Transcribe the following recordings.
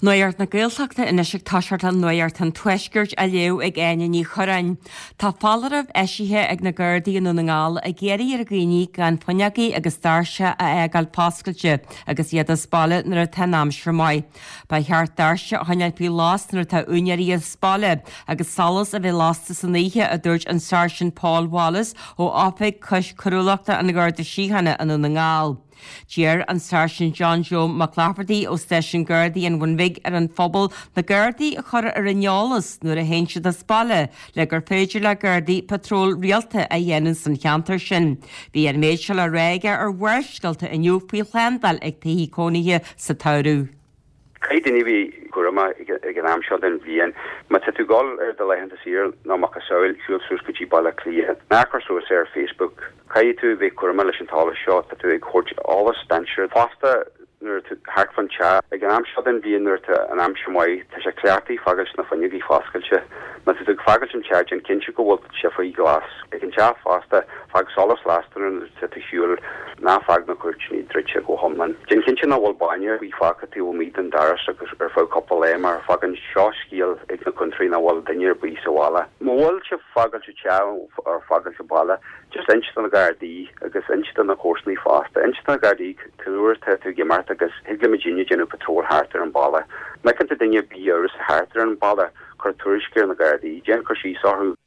Nuacht na Gaeltachta anois ag toiseacht le Nuacht an Tuaiscirt á léamh ag Áine Ní Churráin. Tá foláireamh eisithe ag na Gardaí i nDún na nGall ag iarraidh ar dhaoine gan fuinneogaí agus doirse a fhágáil foscailte agus iad as baile nuair atá an aimsir maith. Ba cheart doirse a choinneáil faoi lás nuair atá úinéirí as baile agus solas a bheith lasta san oíche, a dúirt an Sáirsint Paul Wallace ó Oifig Cois Coiriúlachta an Gharda Síochána i nDún na nGall. D'iarr an Sáirsint John Joe Mac Laifeartaigh ó Stáisiún Gardaí an Bhun Bhig ar an phobal na Gardaí a chur ar an eolas nuair a théann siad as baile le gur féidir le Gardaí patról rialta a dhéanamh san cheantar sin. Bhí an méid seo le rá aige ar Bharrscéalta inniu faoi shlándáil ag tithe cónaithe sa tsamhradh. Caithfidh daoine a bheith cúramach ag an am seo den bhliain. Má tá tú ag dul ar do laethanta saoire nó macasamhail, siúl suas go dtí Baile Átha Cliath. Ná cuir suas é ar Facebook. Caithfidh tú a bheith cúramach leis an t-eolas seo. Tá tú ag thabhairt eolas dainséar. Fosta, nuair atá tú thart fán teach, ag an am seo den bhliain nuair atá an aimsir maith, tá sé cleachtaithe fágáilt na fuinneogaí foscailte. Má tá tú ag fágáilt an teach, déan cinnte go bhfuil sé faoi ghlas. Ag an teach fosta, fág solas lasta nuair atá tú ar shiúl, ná fág na cúirtíní druidte go hiomlán. Déan cinnte nach bhfuil bainne ar bith fágtha taobh amuigh den doras agus ar feadh cúpla lá mar fágann seo scéal ag na cointrigh nach bhfuil duine ar bith sa bhaile. Má bhfuil sibh fágáilt an teach or fágáilt an baile, just inis do na Gardaí agus inis do na comharsanaí fosta. Inis do na Gardaí cén uair atá tú ag imeacht agus thig le muidinne déanamh patrol thart ar an baile. Má fheiceann tú duine ar bith amhrasach thart ar an baile, cuir tuairisc ar na Gardaí, déan cur síos orthu.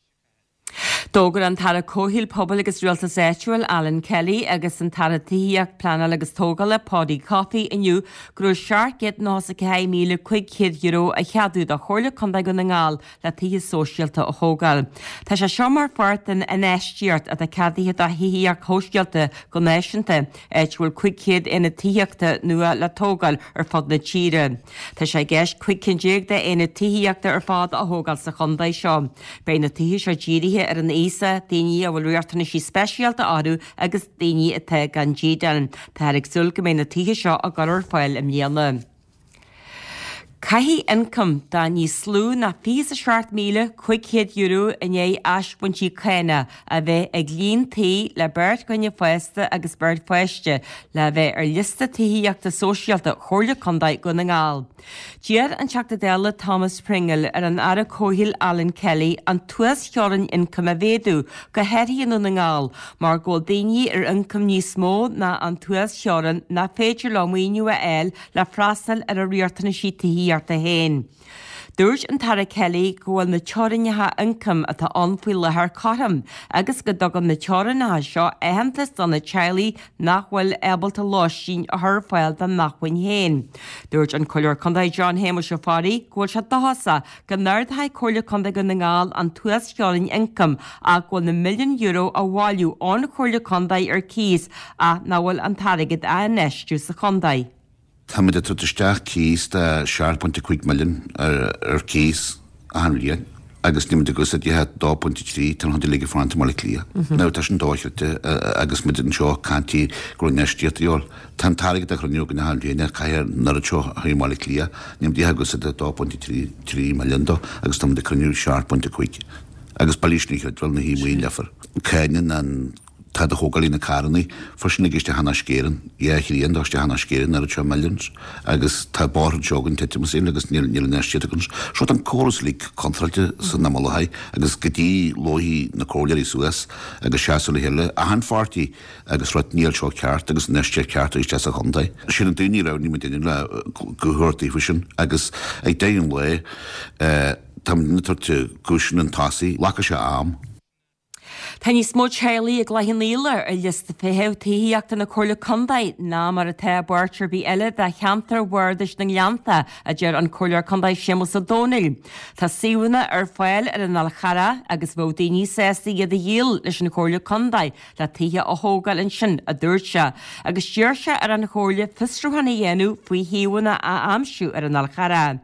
D'fhógair an tAire Comhshaoil, Pobail agus Rialtais Áitiúil, Alan Kelly agus an tAire Tithíochta, Pleanála agus Tógála, Paudie Coffey inniu go raibh €794,500 á cheadú do Chomhairle Contae Dhún na nGall le tithe sóisialta a thógáil. Tá sé seo mar pháirt den infheistíocht atá ceadaithe do thithíocht shóisialta go náisiúnta, áit a bhfuil 500 aonad tithíochta nua le tógáil ar fud na tíre. Tá sé i gceist 15 cinn d'aonaid tithíochta ar fad a thógáil sa chontae seo. Beidh na tithe seo dírithe ar an aosach, daoine a bhfuil riachtanaisí speisialta orthu agus daoine atá gan dídean. Táthar ag súil go mbeidh na tithe seo á gcur ar fáil i mbliana. Caithfidh ioncam de níos lú ná €27,500 i ndiaidh asbhaintí cánach a bheith ag líon tí le beirt dhuine fásta agus beirt pháiste le bheith ar liosta tithíochta sóisialta Chomhairle Contae Dhún na nGall. D'iarr an Teachta Dála Thomas Pringle ar an Aire Comhshaoil Alan Kelly an t-uasteorainn ioncaim a mhéadú, go háirithe i nDún na nGall, mar go bhfuil daoine ar ioncam níos mó ná an t-uasteorainn nach féidir leo maoiniú a fháil le freastal ar a riachtanaisí tithíochta féin. Dúirt an tAire Kelly go bhfuil na teorainneacha ioncaim atá ann faoi láthair cothrom agus go dtugann na teorainneacha seo aitheantas do na teaghlaigh nach bhfuil ábalta lóistín a chur ar fáil dá n-acmhainn féin. Dúirt an Comhairleoir Contae John Shéamuis Ó Fearraigh go bhfuil sé dóchasach go n-ardóidh Comhairle Contae Dhún na nGall an t-uasteorainn ioncaim ach go bhfuil na milliúin euro á bhailiú ón Chomhairle Contae ar cíos ach nach bhfuil an t-airgead á infheistiú sa chontae. Táimid ag tabhairt isteach cíos de 7.5 milliún ar cíos achan bhliain agus níl muid ag úsáid ach 2.3 tá an chuid uilig ag fanacht i mBaile Átha Cliath. Now tá sin dochreidte agus muid anseo ag caint go raibh infheistíocht a dhíobháil. Tá an t-airgead á chruinniú againn achan bhliain ar caithfidh an oiread seo a chur i mBaile Átha Cliath, níl muid ag úsáid 2.3 milliún dó agus tá muid ag cruinniú 7.5 agus billí sin a chreidbheáil na hí maoin leifear. Cáineann an Tá do thógálaí na carrannaí freisin ag isteach in Uisce Éireann, dhá thrian dó isteach in Uisce Éireann oiread seo millions agus tá bóithre anseo againn titim as a chéile agus níl níl infheistíocht againn. So tá an córas uilig contráilte san imeall agus go dtí luífidh na comhairleoirí suas agus seasamh le chéile achan pháirtí agus rud níl seo ceart agus infheistíocht ceart isteach sa chontae. Sin an daoine a roghnaigh muid inniu le guth a thabhairt daofa sin agus ag deireadh an lae tá muid ag tabhairt guth chun tosaigh, glacfaidh sé am. Tá níos mó teaghlaigh i gCloich Cheann Fhaola ar liosta feithimh tithíochta na Comhairle Contae ná mar atá i bpáirt ar bith eile de cheantar Bhardais na nGleannta, a deir an Comhairleoir Contae Séamus Ó Domhnaill. Tá suíomhanna ar fáil ar an Fhál Charrach agus bheadh daoine sásta iad a dhíol leis an Chomhairle Contae le tithe a thógáil ansin, a dúirt sé, agus d'iarr sé ar an Chomhairle fiosrúchán a dhéanamh faoi shuíomhanna a aimsiú ar an Fhál Charrach.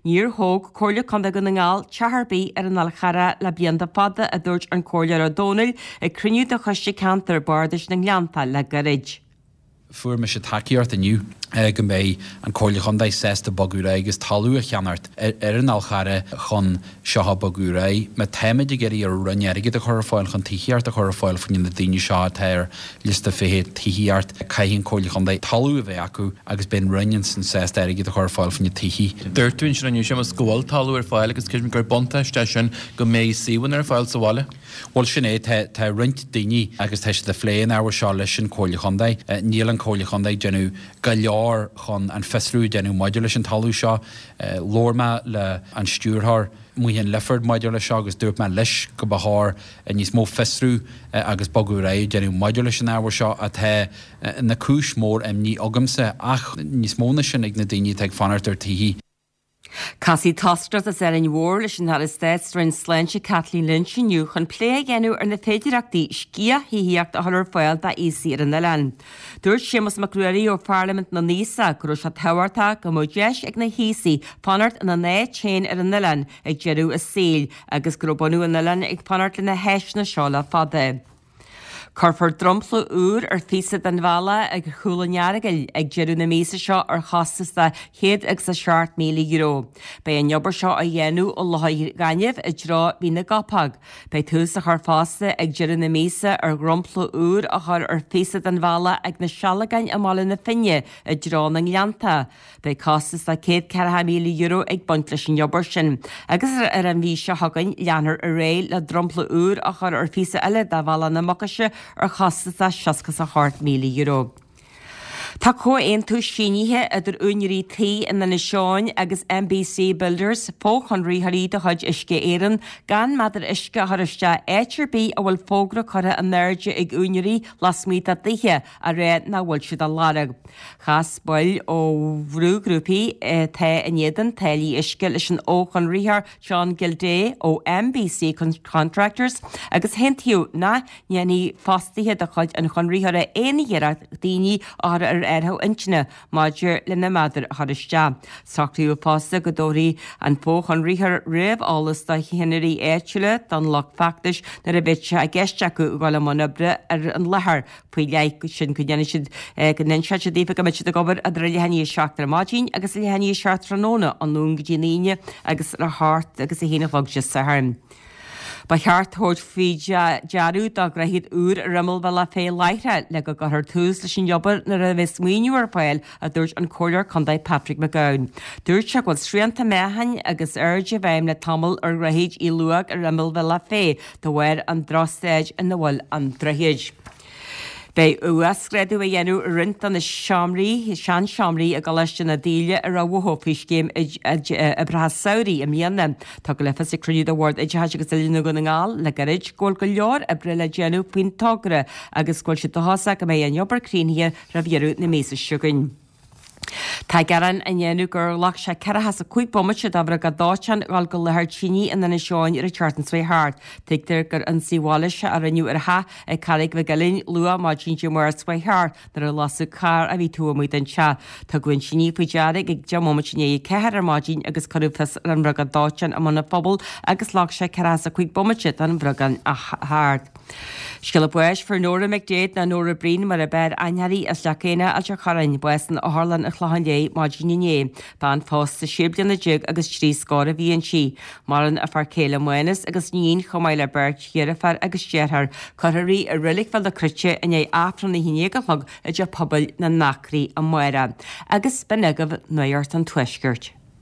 Níor thóg Comhairle Contae Dhún na nGall teach ar bith ar an Fhál Charrach le blianta fada, a dúirt an Comhairleoir Ó Domhnaill ag cruinniú de Choiste Ceantair Bardais na nGleanntach le gairid. Fuair mise tacaíocht inniu. Go mbeidh an Comhairle Chontae sásta bogadh ar aghaidh agus talamh a cheannacht ar an Fhál Charrach chun seo a bogadh ar aghaidh. Má táimid ag iarraidh ar an Roinn airgead a chur ar fáil chun tithíocht a chur ar fáil faoi na daoine seo atá ar liosta feithimh tithíocht, caithfidh an Comhairle Chontae talamh a bheith acu agus beidh an Roinn ansin sásta airgead a chur ar fáil faoi na tithí. Dúirt tú ansin inniu, Séamus, go bhfuil talamh ar fáil agus creidim gur buntáiste é sin go mbeidh suíomhanna ar fáil sa bhaile. Bhuel, sin é. Tá, tá roinnt daoine agus tá siad ag plé an ábhair seo leis an Chomhairle Chontae. Níl an Chomhairle Chontae ag déanamh go leor chun an fiosrú a dhéanamh maidir leis an talamh seo. Labhair mé le an stiúrthóir, Maothan Lifford, maidir leis seo agus dúirt mé leis go ba chóir níos mó fiosrú agus bogadh ar aghaidh a dhéanamh maidir leis an ábhar seo atá ina cúis mór imní agamsa ach níos mó ná sin ag na daoine atá ag fanacht ar tithí. Casfaidh toscaireacht as Árainn Mhór leis an Aire Stáit sa Roinn Sláinte Kathleen Lynch inniu chun plé a dhéanamh ar na féidireachtaí sciath-thithíocht a chur ar fáil d'aosaigh ar an oileán. Dúirt Séamus Mac Ruairí ó Pharlaimint na nAosach go raibh sé tábhachtach go mbeadh deis ag na haosaigh fanacht ina n-áit féin ar an oileán ag deireadh a saoil agus go raibh bunadh an oileáin ag fanacht le na háiseanna seo le fada. Cuirfear dromchla úr ar phíosa den bhealach ag Chúil an Earagail ag deireadh na míosa seo ar chostas de €107,000. Beidh an obair seo á dhéanamh ó Loch an Ghainimh i dtreo Mhín na gCopóg. Beidh tús á chur fosta ag deireadh na míosa ar dhromchla úr a chur ar phíosa den bhealach ag na Sealgáin i mBaile na Finne i dtreo na nGleannta. Beidh costas de €140,000 ag baint leis an obair sin agus ar an mhí seo chugainn leanfar ar aghaidh le dromchla úr a chur ar phíosa eile de Bhealach na Mucaise ar chostas de €68,000. Tá comhaontú sínithe idir úinéirí tí in Inis Eoghain agus MBC Builders, fochonraitheoirí de chuid Uisce Éireann, gan méadar uisce a chur isteach áit ar bith a bhfuil fógra curtha in airde ag úinéirí lasmuigh dá dtithe á rá nach bhfuil siad á lorg. Chas baill ó bhrúghrúpaí atá in éadan táillí uisce leis an fhochonraitheoir John Gildea ó MBC Contractors agus aontaíodh nach ndéanfaidh fostaithe de chuid an chonraitheora aon iarracht daoine a chur ar athrú intinne maidir lena méadair a chur isteach. Socraíodh fosta go dtabharfaidh an fochonraitheoir réamheolas do cheannairí áitiúla don lucht feachtais nuair a bheidh sé i gceist acu a dhul i mbun oibre ar an láthair faoi leith sin go ndéanfaidh siad, go n-inseoidh siad daofa go mbeidh siad ag obair idir a leath i ndiaidh a 7 ar maidin agus a leath i ndiaidh a 7 tráthnóna, ón Luan go dtí an Aoine agus idir a 8 agus a 1 a chlog Dé Sathairn. Ba cheart tabhairt faoi dearadh do dhroichead úr ar imeall Bhealach Féich láithreach le go gcuirfear tús leis an obair nuair a bheas maoiniú ar fáil, a dúirt an Comhairleoir Contae Patrick McGowan. Dúirt sé go bhfuil srianta meáchain agus airde i bhfeidhm le tamall ar Dhroichead Uí Luaigh ar imeall Bhealach Féich de bharr an drochstaid ina bhfuil an droichead. Beidh uasghrádú á dhéanamh ar roinnt de na seomraí, seanseomraí i gColáiste na Daoile i Ráth Bhoth faoi scéim oibreacha samhraidh i mbliana. Tugadh le fios ag cruinniú de Bhord Oideachais agus Oiliúna Dhún na nGall le gairid go bhfuil go leor oibre le déanamh faoin togra agus go bhfuil siad dóchasach go mbeidh an obair críochnaithe roimh dheireadh na míosa seo chugainn. Tá gearán á ndéanamh gur ghlac sé 45 bomaite do bhriogáid dóiteáin dhul go láthair tine in Inis Eoghain ar an tseachtain seo thart. Tuigtear gur ionsaí mhailíseach a rinneadh ar theach ag Carraig Mhic Uilinn luath maidin Dé Máirt seo thart nuair a lasadh carr a bhí taobh amuigh den teach. Tugadh an tine faoi deara ag 10 mbomaite i ndiaidh a 4 ar maidin agus cuireadh fios ar an mbriogáid dóiteáin i mBun an Phobail agus ghlac sé 45 bomaite don bhriogáid a theacht. Scéala báis, Fuair Nóra McDaid nó Nóra Breen mar ab fhearr aithne uirthi as Leac Éanna, Ailt an Chorráin, bás san Otharlann an Chlocháin Léith maidin inné. Bean phósta sé bliana déag agus trí scór a bhí inti. Maireann a fear céile Mánas agus iníon chomh maith le beirt dheirféar agus deartháir. Cuirfear í i Reilig Bhéal na Cruite i ndiaidh Aifreann a haon déag a chlog i dTeach Pobail na nAcraí amárach. Agus b'in agaibh Nuacht an Tuaiscirt.